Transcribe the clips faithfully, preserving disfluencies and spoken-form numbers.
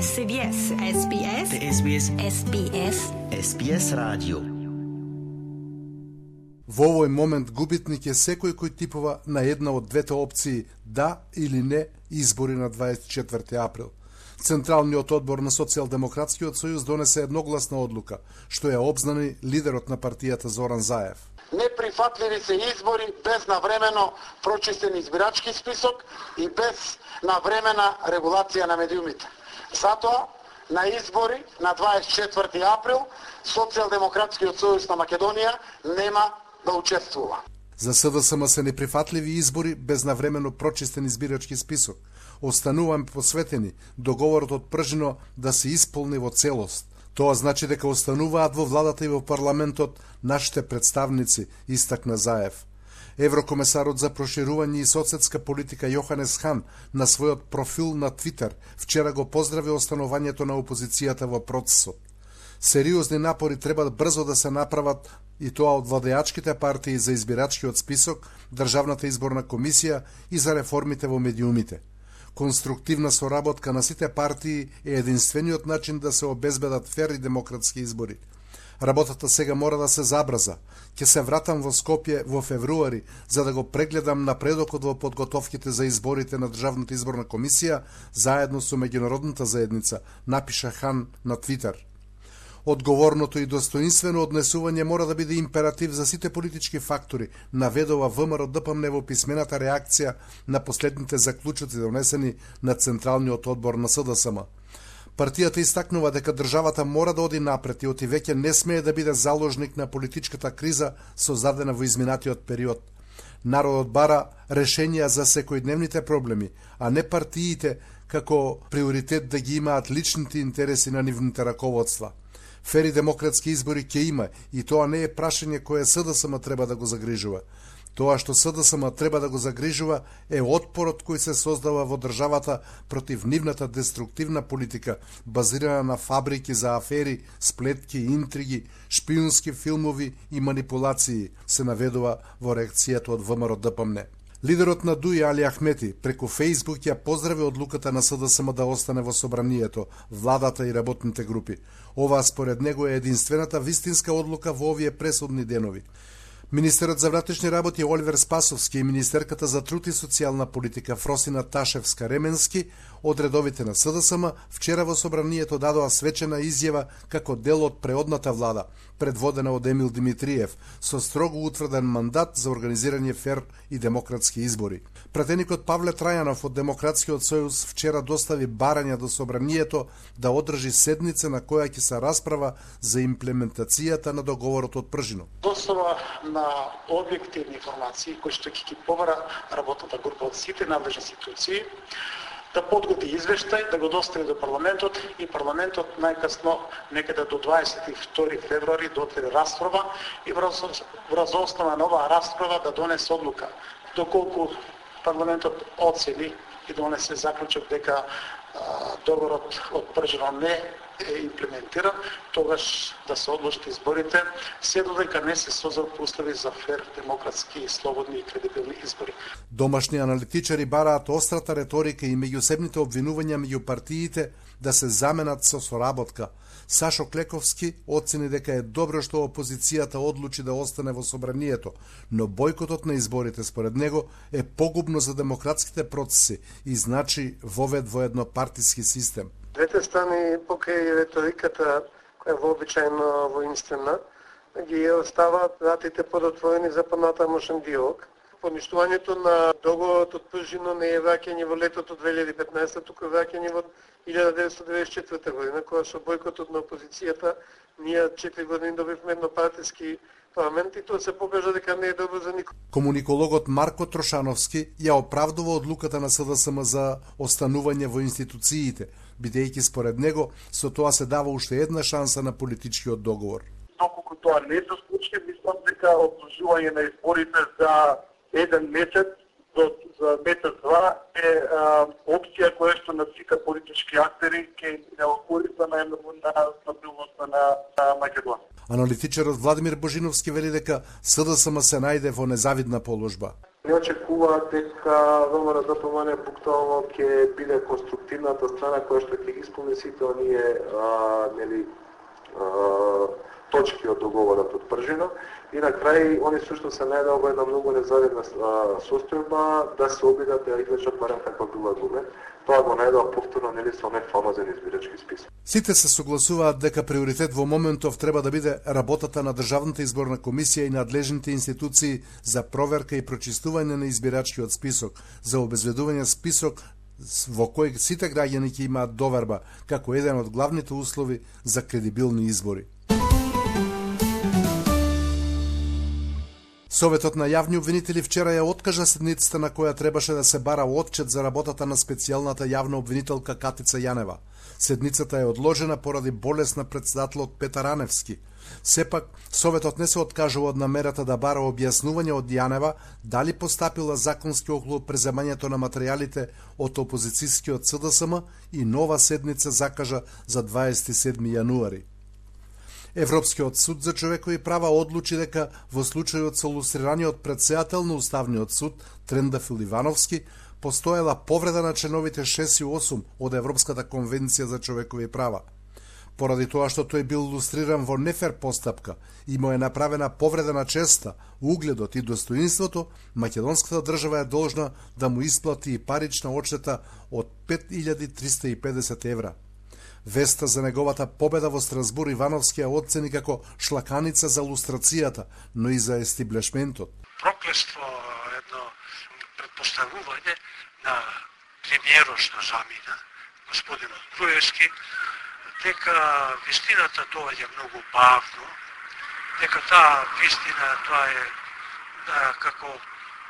С Б С, С Б С, С Б С, С Б С, С Б С радио. Во овој момент губитник е секој кој типува на една од двете опции да или не избори на дваесет и четврти април. Централниот одбор на Социјалдемократскиот сојуз донесе едногласна одлука, што ја обзнани лидерот на партијата Зоран Заев. Неприфатливи се избори без навремено прочистен избирачки список и без навремена регулација на медиумите. Затоа, на избори на дваесет и четврти април, Социјалдемократскиот сојуз на Македонија нема да учествува. За С Д С М се неприфатливи избори без навремено прочистен избирачки список. Остануваме посветени договорот од Пржино да се исполни во целост. Тоа значи дека остануваат во владата и во парламентот нашите представници, истакна Заев. Еврокомесарот за проширување и соседска политика Јоханес Хан на својот профил на Твитер вчера го поздрави останувањето на опозицијата во процесот. Сериозни напори треба брзо да се направат и тоа од владеачките партии за избирачкиот список, Државната изборна комисија и за реформите во медиумите. Конструктивна соработка на сите партии е единствениот начин да се обезбедат фер и демократски избори. Работата сега мора да се забрза. Ќе се вратам во Скопје во февруари за да го прегледам напредокот во подготовките за изборите на Државната изборна комисија заедно со меѓународната заедница, напиша Хан на Твитер. Одговорното и достоинствено однесување мора да биде императив за сите политички фактори, наведува ВМРО Д П М Н во писмената реакција на последните заклучоци донесени на Централниот одбор на С Д С М. Партијата истакнува дека државата мора да оди напред и оти веќе не смее да биде заложник на политичката криза создадена во изминатиот период. Народот бара решенија за секојдневните проблеми, а не партиите како приоритет да ги имаат личните интереси на нивните раководства. Фери демократски избори ќе има и тоа не е прашање кое С Д С М треба да го загрижува. Тоа што С Д С М треба да го загрижува е отпорот кој се создава во државата против нивната деструктивна политика, базирана на фабрики за афери, сплетки, интриги, шпиунски филмови и манипулации, се наведува во реакцијата од ВМРО Д П М Н. Лидерот на Д У И Али Ахмети преку Фејсбук ја поздрави одлуката на С Д С М да остане во собранието, владата и работните групи. Ова според него е единствената вистинска одлука во овие пресудни денови. Министерот за внатрешни работи Оливер Спасовски и министерката за труд и социјална политика Фросина Ташевска-Ременски од редовите на С Д С М вчера во собранието дадоа свечена изјава како дел од преодната влада, предводена од Емил Димитриев, со строго утврден мандат за организирање фер и демократски избори. Пратеникот Павле Трајанов од Демократскиот сојуз вчера достави барања до собранието да одржи седница на која ќе се расправа за имплементацијата на договорот од Пржино. Достава на објективни информации кои што ќе ги побара работната група од сите надлежни институции, да подготви извештај, да го достави до парламентот и парламентот најкасно некаде до дваесет и втори февруари да отвори расправа и врз основа на оваа расправа да донесе одлука. Доколку парламентот оцени и донесе заклучок дека договорот од Пржино не е имплементиран, тогаш да се одложат изборите, се додека не се создадат услови за фер, демократски, слободни и кредибилни избори. Домашни аналитичари бараат острата реторика и меѓусебните обвинувања меѓу партиите да се заменат со соработка. Сашо Клековски оцени дека е добро што опозицијата одлучи да остане во собранието, но бойкотот на изборите според него е погубно за демократските процеси и значи вовед во еднопартиски систем. Двете страни покрај реториката која е вообичајно воинствена, ги оставаат вратите подотворени за понатамошен диалог. Поништувањето на договорот од Пржино не е враќање во летото две илјади и петнаесета, туку враќање во илјада деветстотини деведесет и четврта година, кога со бойкотот на опозицијата ние четири години добивме еднопартиски парламент и тоа се покажа дека не е добро за никој. Комуникологот Марко Трошановски ја оправдува одлуката на С Д С М за останување во институциите, бидејќи според него со тоа се дава уште една шанса на политичкиот договор. Доколку тоа не се случи, мислам дека одложување на изборите за еден месец до за месец-два е а, опција која што на сите политички актери ќе не окориста најмногу на стабилноста на, на Македонија. Аналитичарот Владимир Божиновски вели дека СДСМ се најде во незавидна положба. Не очекува дека ВМРО ДПМН буквално ќе биде конструктивната страна која што ќе ги исполни сите оние а, нели а, точки од договорот од Пржино и на крај они сушто се најдоа во една многу незавидна состојба да се обидат да извлечат барем како бил аргумент. Тоа го најдоа повторно нели со онaj фамозен избирачки список. Сите се согласуваат дека приоритет во моментов треба да биде работата на Државната изборна комисија и надлежните институции за проверка и прочистување на избирачкиот список, за обезбедување список во кој сите граѓани ќе имаат доверба како еден од главните услови за кредибилни избори. Советот на јавни обвинители вчера ја откажа седницата на која требаше да се бара отчет за работата на специјалната јавна обвинителка Катица Јанева. Седницата е одложена поради болест на претседателот Петар Аневски. Сепак, Советот не се откажува од намерата да бара објаснување од Јанева дали постапила законски околу преземањето на материјалите од опозицијскиот СДСМ и нова седница закажа за дваесет и седми јануари. Европскиот суд за човекови права одлучи дека во случајот со лустрираниот претседател на Уставниот суд Трендафил Ивановски постоела повреда на членовите шест и осум од Европската конвенција за човекови права. Поради тоа што тој бил лустриран во нефер постапка и му е направена повреда на честа, угледот и достоинството, македонската држава е должна да му исплати и парична одштета од пет илјади триста и педесет евра. Веста за неговата победа во Страсбур Ивановски ја оцени како шлаканица за лустрацијата, но и за естиблешментот. Проклество едно предпоставување на премиерот на замина, господинот Груевски, дека вистината доаѓа многу бавно, дека таа вистина тоа е да, како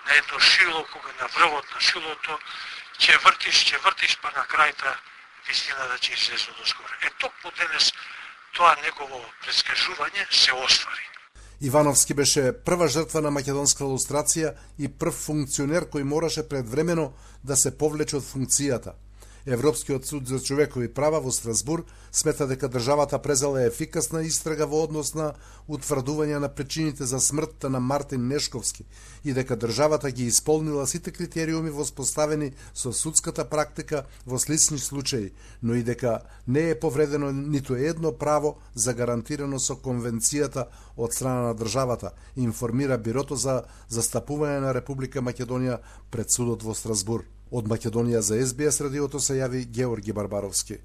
на едно шило, кога на врвот на шилото ќе вртиш, ќе вртиш, па на крајта вистина да ќе излезе доскоро. Е, токму денес тоа негово предскажување се оствари. Ивановски беше прва жртва на македонска лустрација и прв функционер кој мораше предвремено да се повлече од функцијата. Европскиот суд за човекови права во Страсбур смета дека државата презела ефикасна истрага во однос на утврдување на причините за смртта на Мартин Нешковски и дека државата ги исполнила сите критериуми воспоставени со судската практика во слични случаи, но и дека не е повредено ниту едно право загарантирано со конвенцијата од страна на државата, информира Бирото за застапување на Република Македонија пред судот во Страсбур. Од Македонија за Ес Би Ес радиото се јави Георги Барбаровски.